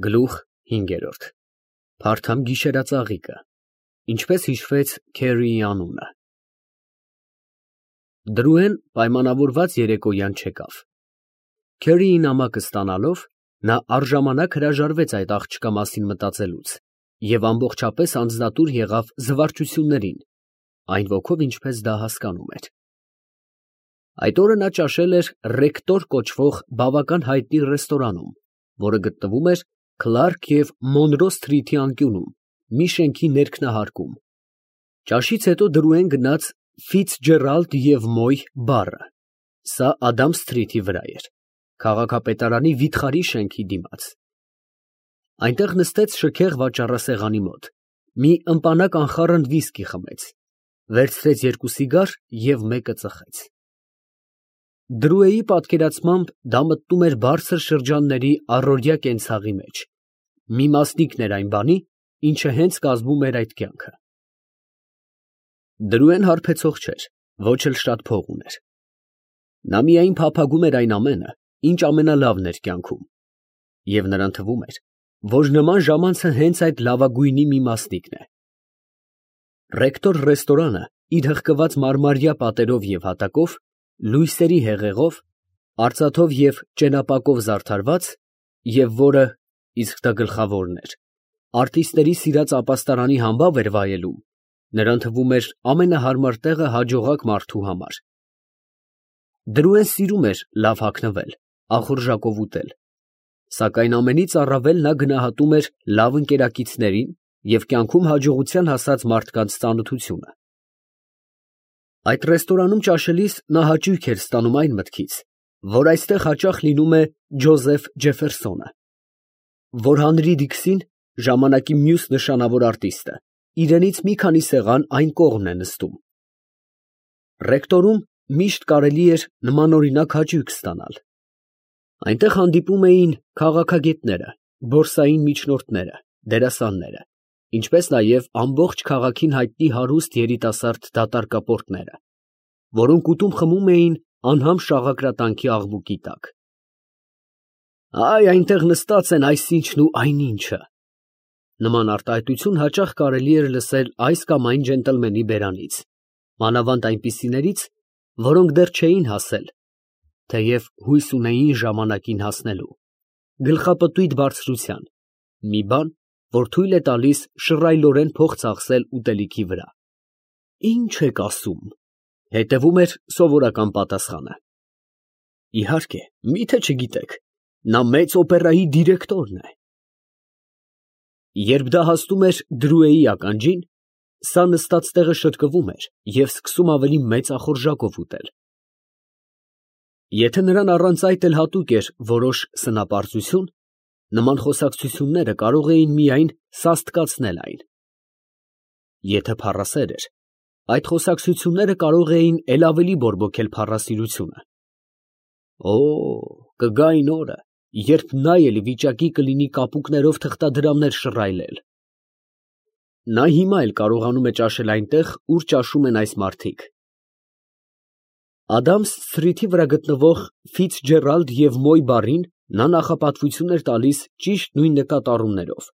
Գլուխ 5 Փարթամ գիշերածաղիկը, ինչպես հիշվեց Քերիի անունը։ Դրուեն պայմանավորված երեկոյան չեկավ։ Քերիի նամակը ստանալով, նա առժամանակ հրաժարվեց այդ աղջկա մասին մտածելուց և ամբողջապես անձնատուր եղավ զվարճություններին, այն ոգով, ինչպես դա հասկանում էր։ Այդ օրը նա ճաշել էր Ռեկտոր կոչվող բավական հայտնի ռեստորանում, որը գտնվում էր Քլարք և Մոնրո Սթրիթի անկյունում, մի շենքի ներքնահարկում։ Ճաշից հետո Դրուեն գնաց Ֆիցջերալդ և Մոյ բառը, սա Ադամ Սթրիթի վրա էր, քաղաքապետարանի վիթխարի շենքի դիմաց։ Այնտեղ նստեց շքեղ վաճառասեղանի մոտ, մի ըմպանակ անխառն վիսկի խմեց, վերցրեց 2 սիգար և մեկը ծխեց։ Դրուեի պատկերացմամբ դա մտնում էր բարձր շրջանների առօրյա կենցաղի մեջ, մի մասնիկն էր այն բանի, ինչը հենց կազմում էր այդ կյանքը։ Դրուեն հարբեցող չէր, ոչ էլ շատ փող ուներ։ Նա միայն փափագում էր այն ամենը, ինչ ամենալավն էր կյանքում, և նրան թվում էր, որ նման ժամանցը հենց այդ լավագույնի մի մասնիկն է։ Ռեկտոր ռեստորանը իր հղկված մարմարյա պատերով և հատակով, լույսերի հեղեղով, արծաթով և ճենապակով զարդարված, և որը, իսկ դա գլխավորն էր, արտիստների սիրած ապաստարանի համբավ էր վայելում, նրան թվում էր ամենահարմար տեղը հաջողակ մարդու համար։ Դրուեն սիրում էր լավ հագնվել, ախորժակով ուտել, սակայն ամենից առավել նա գնահատում էր լավ ընկերակիցներին և կյանքում հաջողության հասած մարդկանց ծանոթությունը։ Այդ ռեստորանում ճաշելիս նա հաճույք էր ստանում այն մտքից, որ այստեղ հաճախ լինում է Ջոզեֆ Ջեֆերսոնը, որ Հանրի Դիքսին, ժամանակի մյուս նշանավոր արտիստը, իրենից մի քանի սեղան այն կողմն է նստում։ Ռեկտորում միշտ կարելի էր նմանօրինակ հաճույք ստանալ։ Այնտեղ հանդիպում էին քաղաքագետները, բորսային միջնորդները, դերասանները, ինչպես նաև ամբողջ քաղաքին հայտնի հարուստ երիտասարդ դատարկապորտները, որոնք ուտում֊խմում էին անհամ շաղակրատանքի աղմուկի տակ։ Այնտեղ նստած են այսինչն ու այնինչը, նման արտահայտություն հաճախ կարելի էր լսել այս կամ այն ջենտլմենի բերանից, մանավանդ այնպիսիներից, որոնք դեռ չէին հասել, թեև հույս ունեին ժամանակին հասնելու, գլխապտույտ բարձրության, մի բան, որ թույլ է տալիս շռայլորեն փող ծախսել ուտելիքի վրա։ Ի՞նչ եք ասում, հետևում էր սովորական պատասխանը։ Իհարկե, մի՞թե չգիտեք, նա մեծ օպերայի դիրեկտորն է։ Երբ դա հասնում էր Դրուեի ականջին, սա նստած տեղը շրկվում էր և սկսում ավելի մեծ ախորժակով ուտել։ Եթե նրան առանց այդ էլ հատուկ էր որոշ սնապարծություն, նման խոսակցությունները կարող էին միայն սաստկացնել այն։ Եթե փառասեր էր, այդ խոսակցությունները կարող էին էլ ավելի բորբոքել փառասիրությունը։ Կգա այն օրը, երբ նա էլ վիճակի կլինի կապուկներով թղթադրամներ շռայլել։ Նա հիմա էլ կարողանում է ճաշել այնտեղ, ուր ճաշում են այս մարդիկ։ Ադամս Սթրիթի վրա գտնվող Ֆիցջերալդ և Մոյ բառին նա նախապատվություն էր տալիս ճիշտ նույն նկատառումներով։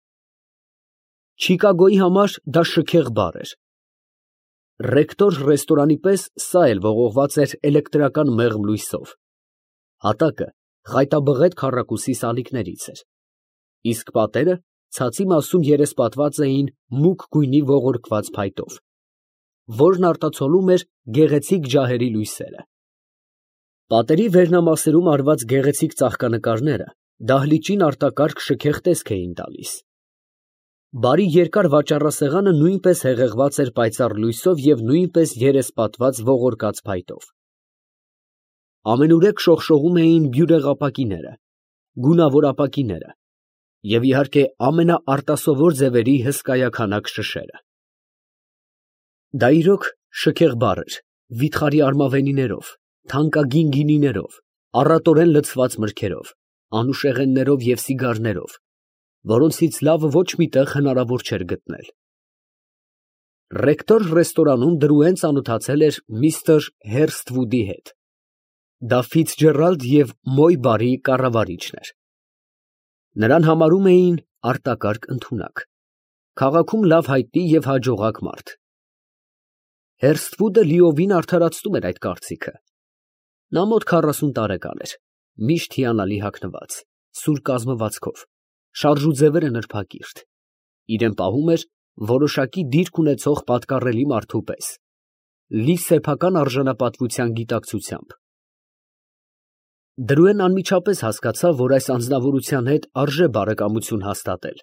Չիկագոյի համար դա շքեղ բառ էր։ Ռեկտոր ռեստորանի պես սա էլ ողողված էր էլեկտրական մեղմ լույսով։ Հատակը խայտաբղետ քառակուսի սալիկներից էր, իսկ պատերը ցածի մասում երեսպատված էին մուգ գույնի ողորկված փայտով, որն արտացոլում էր գեղեցիկ ջահերի լույսերը։ Պատերի վերնամասերում արված գեղեցիկ ծաղկանկարները դահլիճին արտակարգ շքեղ տեսք էին տալիս։ Բարի երկար վաճառասեղանը նույնպես հեղեղված էր պայծառ լույսով և նույնպես երեսպատված ողորկած փայտով։ Ամենուրեք շողշողում էին բյուրեղապակիները, գունավոր ապակիները և, իհարկե, ամենաարտասովոր ձևերի հսկայաքանակ շշերը։ Դա իրոք շքեղ բառ էր, վիթխարի արմավենիներով, թանկագին գինիներով, առատորեն լցված մրգերով, անուշեղեններով և սիգարներով, որոնցից լավը ոչ մի տեղ հնարավոր չէր գտնել։ Ռեկտոր ռեստորանում Դրուեն ծանոթացել էր միստր Հերսթվուդի հետ։ Դա Ֆիցջերալդ և Մոյ բարի կառավարիչն էր։ Նրան համարում էին արտակարգ ընդունակ, քաղաքում լավ հայտնի և հաջողակ մարդ։ Հերսթվուդը լիովին արդարացնում էր այդ կարծիքը։ Նա մոտ 40 տարեկան էր, միշտ հիանալի հագնված, սուր կազմվածքով, շարժուձևերը նրբակիրթ, իրեն պահում էր որոշակի դիրք ունեցող պատկառելի մարդու պես, լի սեփական արժանապատվության գիտակցությամբ։ Դրուեն անմիջապես հասկացավ, որ այս անձնավորության հետ արժե բարեկամություն հաստատել,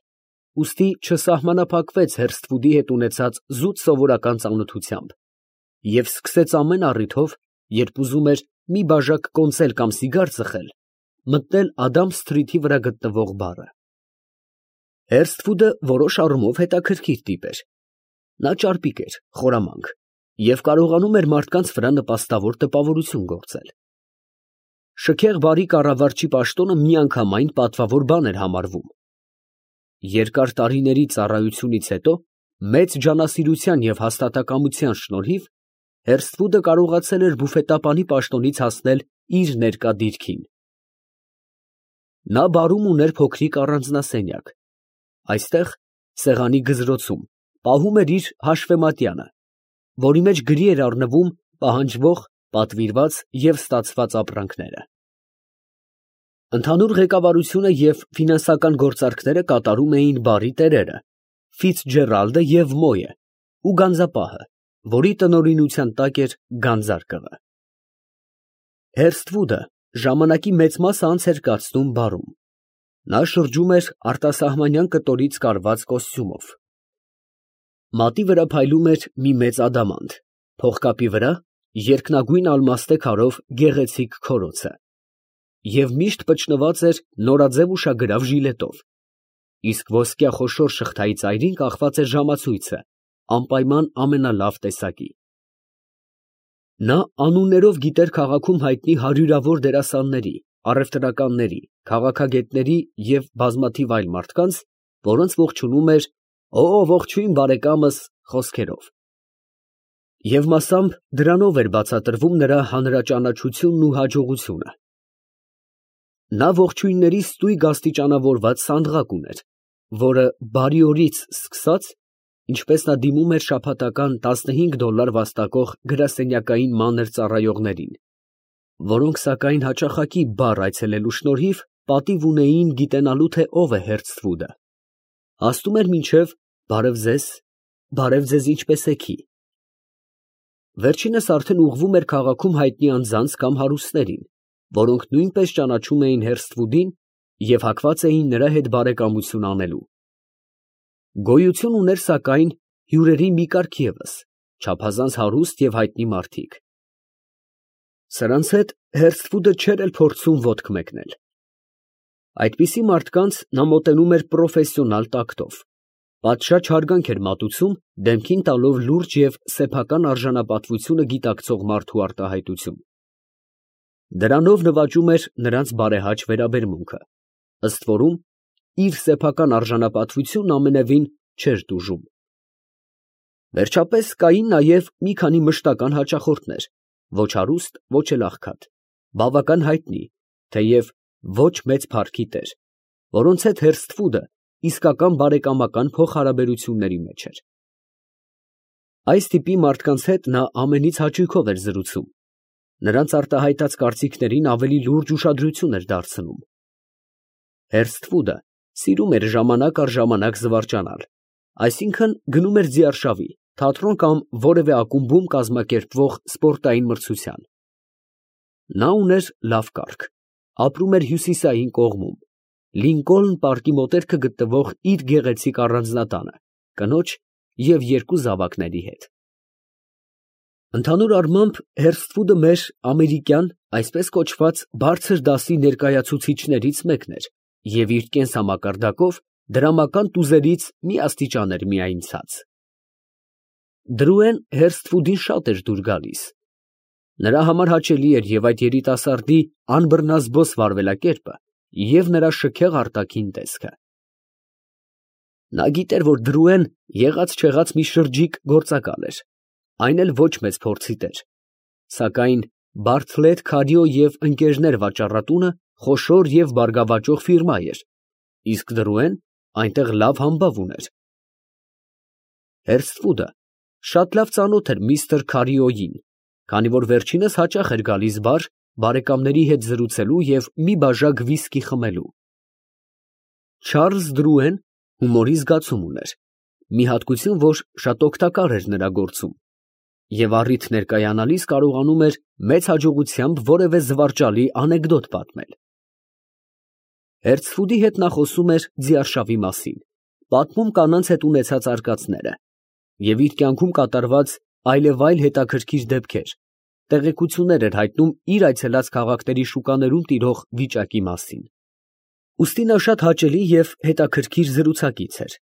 ուստի չսահմանափակվեց Հերսթվուդի հետ ունեցած զուտ սովորական ծանոթությամբ և սկսեց ամեն առիթով, երբ ուզում էր մի բաժակ կոնսել կամ սիգար ծխել, մտնել Ադամ Սթրիթի վրա գտնվող բարը։ Հերսթվուդը որոշ առումով հետաքրքիր տիպ էր։ Նա ճարպիկ էր, խորամանկ և կարողանում էր մարդկանց վրա նպաստավոր տպավորություն գործել։ Շքեղ բարի կառավարչի պաշտոնը միանգամայն պատվավոր բան էր համարվում։ Երկար տարիների ծառայությունից հետո մեծ ջանասիրության և հաստատակամության շնորհիվ Հերսթվուդը կարողացել էր բուֆետապանի պաշտոնից հասնել իր ներկա դիրքին։ Նա բարում ուներ փոքրիկ առանձնասենյակ։ Այստեղ, սեղանի գզրոցում, պահում էր իր հաշվեմատյանը, որի մեջ գրի էր առնվում պահանջվող, պատվիրված և ստացված ապրանքները։ Ընդհանուր ղեկավարությունը և ֆինանսական գործարքները կատարում էին բարի տերերը Ֆիցջերալդը և Մոյը ու գանձապահը, որի տնօրինության տակ էր գանձարկղը։ Հերսթվուդը ժամանակի մեծ մասը անց էր կացնում բարում։ Նա շրջում էր արտասահմանյան կտորից կարված կոստյումով։ Մատի վրա փայլում էր մի մեծ ադամանդ, փողկապի վրա երկնագույն ալմաստե քարով գեղեցիկ քորոցը և միշտ պճնված էր նորաձև ուշագրավ ժիլետով, իսկ ոսկյա խոշոր շղթայի ծայրին կախված էր ժամացույցը, անպայման ամենալավ տեսակի։ Նա անուններով գիտեր քաղաքում հայտնի հարյուրավոր դերասանների, առևտրականների, քաղաքագետների և բազմաթիվ այլ մարդկանց, որոնց ողջունում էր «Օ, ողջույն բարեկամս» խոսքերով։ Եվ մասամբ դրանով էր բացատրվում նրա հանրաճանաչությունն ու հաջողությունը։ Նա ողջույնների ստույգ աստիճանավորված սանդղակ ուներ, որը բարի օրից սկսած, ինչպես նա դիմում էր շաբաթական $15 վաստակող գրասենյակային մանր ծառայողներին, որոնք սակայն հաճախակի բար այցելելու շնորհիվ պատիվ ունեին գիտենալու, թե ով է Հերսթվուդը, հասնում էր մինչև բարև ձեզ ինչպե՞ս եք։ Վերջինս արդեն ուղղվում էր քաղաքում հայտնի անձանց կամ հարուստներին, որոնք նույնպես ճանաչում էին Հերսթվուդին և հակված էին նրա հետ բարեկամություն անելու։ Գոյություն ուներ սակայն հյուրերի մի կարգ ևս, չափազանց հարուստ և հայտնի մարդիկ։ Սրանց հետ Հերսթվուդը չէր էլ փորձում ոտք մեկնել։ Այդպիսի մարդկանց նա մոտենում էր պրոֆեսիոնալ տակտով, պատշաճ հարգանք էր մատուցում, դեմքին տալով լուրջ և սեփական արժանապատվությունը գիտակցող մարդու արտահայտություն։ Դրանով նվաճում էր նրանց բարեհաճ վերաբերմունքը, ըստ որում իր սեփական արժանապատվությունն ամենևին չէր տուժում։ Վերջապես կային նաև մի քանի մշտական հաճախորդներ, ոչ հարուստ, ոչ էլ աղքատ, բավական հայտնի, թեև ոչ մեծ փառքի տեր, որոնց հետ Հերսթվուդը իսկական բարեկամական փոխհարաբերությունների մեջ էր։ Այս տիպի մարդկանց հետ նա ամենից հաճույքով էր զրուցում, նրանց արտահայտած կարծիքներին ավելի լուրջ ուշադրություն էր դարձնում։ Հերսթվուդը սիրում էր ժամանակ առ ժամանակ զվարճանալ, այսինքն գնում էր ձիարշավի, թատրոն կամ որևէ ակումբում կազմակերպվող սպորտային մրցության։ Նա ուներ լավ կառք, ապրում էր հյուսիսային կողմում, Լինկոլն պարկի մոտերքը գտնվող իր գեղեցիկ առանձնատանը, կնոջ և 2 զավակների հետ։ Ընդհանուր առմամբ Հերսթվուդը մեր ամերիկյան, այսպես կոչված, բարձր դասի ներկայացուցիչներից մեկն էր և իր կենսամակարդակով դրամական տուզերից մի աստիճան էր միայն ցած։ Դրուեն Հերսթվուդին շատ էր դուր գալիս։ Նրա համար հաճելի էր և այդ երիտասարդի անբռնազբոս վարվելակերպը, և նրա շքեղ արտաքին տեսքը։ Նա գիտեր, որ Դրուեն եղած֊չեղած մի շրջիկ գործակալ էր, այն էլ ոչ մեծ փորձի տեր, սակայն Բարթլետ, Քարիո և ընկերներ վաճառատունը խոշոր և բարգավաճող ֆիրմա էր, իսկ Դրուեն այնտեղ լավ համբավ ուներ։ Հերսթվուդը շատ լավ ծանոթ էր միստր Քարիոյին, քանի որ վերջինս հաճախ էր գալիս բար բարեկամների հետ զրուցելու և մի բաժակ վիսկի խմելու։ Չարլզ Դրուեն հումորի զգացում ուներ, մի հատկություն, որ շատ օգտակար էր նրա գործում, և առիթ ներկայանալիս կարողանում էր մեծ հաջողությամբ որևէ զվարճալի անեկդոտ պատմել։ Հերսթվուդի հետ նա խոսում էր ձիարշավի մասին, պատմում կանանց հետ ունեցած արկածները և իր կյանքում կատարված այլևայլ հետաքրքիր դեպքեր, տեղեկություններ էր հայտնում իր այցելած քաղաքների շուկաներում տիրող վիճակի մասին։ Ուստի նա շատ հաճելի և հետաքրքիր զրուցակից էր։